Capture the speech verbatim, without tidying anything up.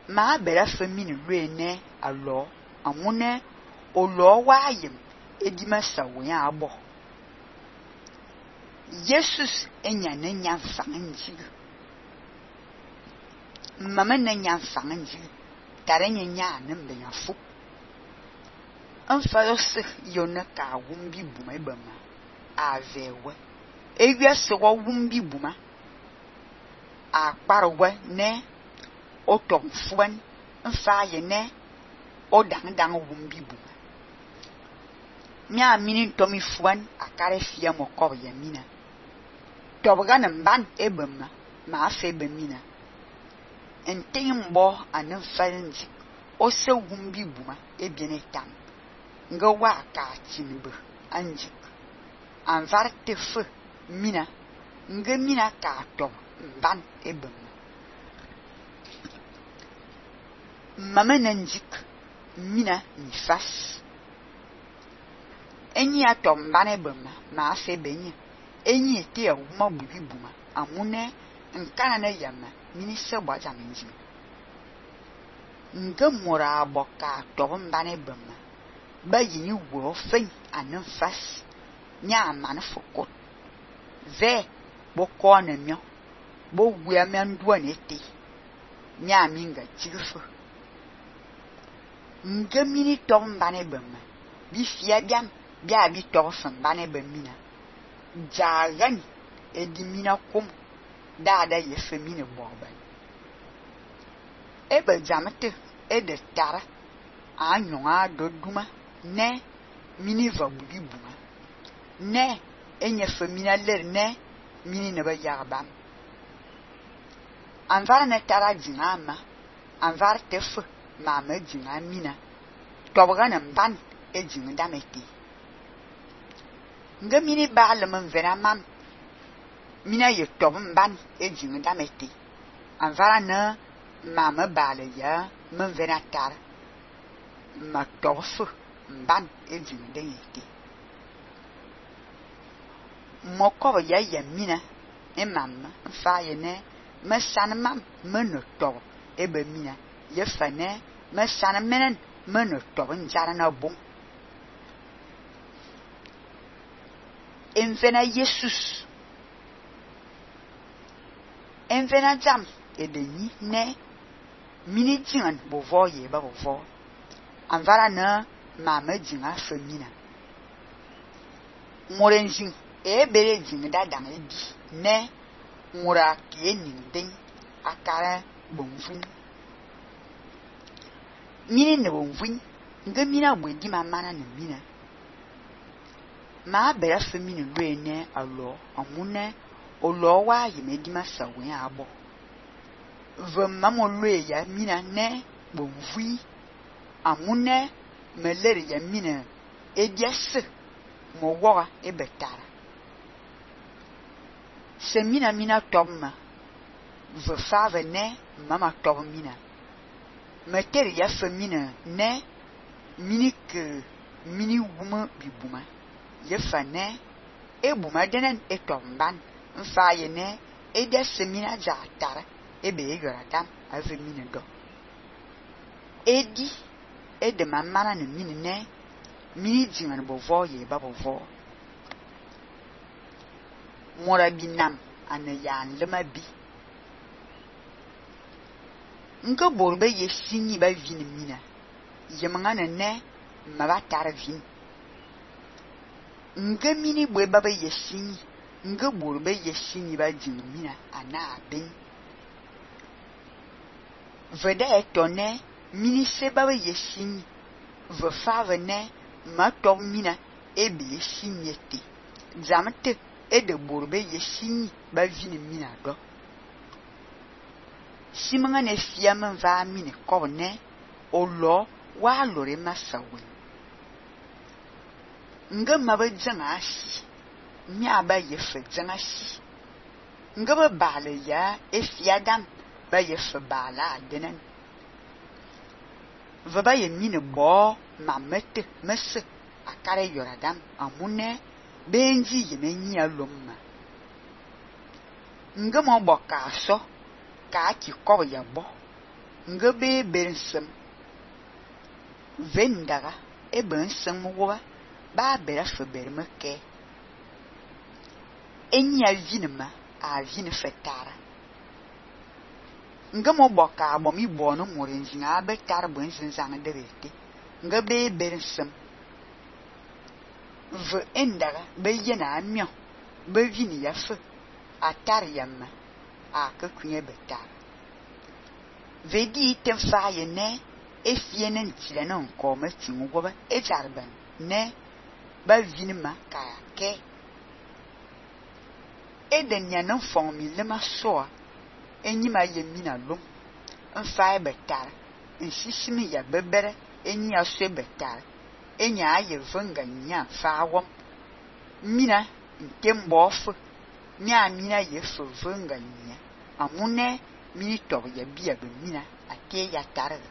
ma bera famine luene alo amune olo wayem edima sawen abo Jesus enya ne nya fangi mama ne nya fangi tare nya nya ne mbe nya fu anfalose yona ka wumbi buma ebama avewe ewia se wo wumbi buma akparwe ne otom fuan nfa ye ne odang dang wumbi buma mia mini tomi fuan akare fia mokob ya mina tobga na mban ebama ma afe bemina entembo anan falnji o se wumbi buma ebiene tam nga wa ka timbe anjik anvar tefe mina nga mina ka tob mban ebama mama nanjik mina nifas enyi atom mban ebama ma afe benye enyi ete ya wuma bubi buma amune nkana na yama mini se gbaja minji nga mura aboka tob mban ebama ba yini wo fen anan fas nya man fokot ve bo ko na myo bo wia me ndua nete nya minga tigfo nga mini tob mban ebama bi fia biam bia bi tob fan mban ebamina jagan edimina kum dada ye femine boban ebe jamete ede tara anyonga doduma ne mini va bugi buma ne enye femina ler ne mini ne ba yarbam anvar ne tara jinama anvar tefu mama jinga mina tobga na mban e jinga dameti nga mini baale men vera mam mina ye tob mban e jinga dameti anvar na mama baale ya men vera tar ma tofu mban e jinga dayeti moko ya ya mina e mamma fa ye ne me san mam me no tob e be mina ye fa ne me san menen me no tob njara na bom envena Jesus envena jam edeni ne mini jingan bovo ye ba bovo anvara na mama jinga femina morenjin e bere jing da dang ebi ne mura ke nin akara bonfun mini ne bonfun nga mina bwedi mamana ne mina ma bere femini luene alo amune olo wa yimedi masawen abo vema mo lue ya mina ne bonfui amune meleri ya mina ediase mo wora e betara se mina mina tomma ve fave ne mama tom mina meteri ya femina ne mini ke mini wuma bibuma ye fa ne e buma denen e tomban mfa ye ne e de semina ja tara e be yora dam ave mina do edi e de mamana ne mini ne mini jingan bovo ye ba bovo mora binam ana yan lema bi nga borbe ye sinyi ba vini mina yemanga ne maba tar vin nga mini bwe baba ye sinyi nga borbe ye sinyi ba jin mina ana ben veda etone mini se baba ye sinyi ve fave ne ma to mina e be sinyete zamte e de borbe ye sinyi ba vini mina do simanga ne fiamen va mini kobne olo wa lore masawe nga maba janga shi nya ba ye fe janga shi nga ba bale ya e fiadam ba ye fe bala denen va ba ye mini bo mamete mese akare yoradam amune benji ye menyi alomma nga mo boka so ka ki kobo ya bo nga be bensem vendaga e ben sem woba ba bera fe berme ke enya vinema a vine fetara nga mo boka bo mi bono morenzinga be tar ben zinzanga derete nga be bensem ve endaga be yena amio be vini ya fe atar yamma a ka kunye betar vedi tem fa ye ne e fiene ntile no ko ma tingu goba e jarban ne ba vini ma ka ke e den ya no fon mi le ma so enyi ma ye mi na lum en fa betar en sisimi ya bebere enyi aso betar enya aye vanga nya fa wom mina ntembofu mi amina ye fo vanga nya amune mini to ya biya be mina ate ya targa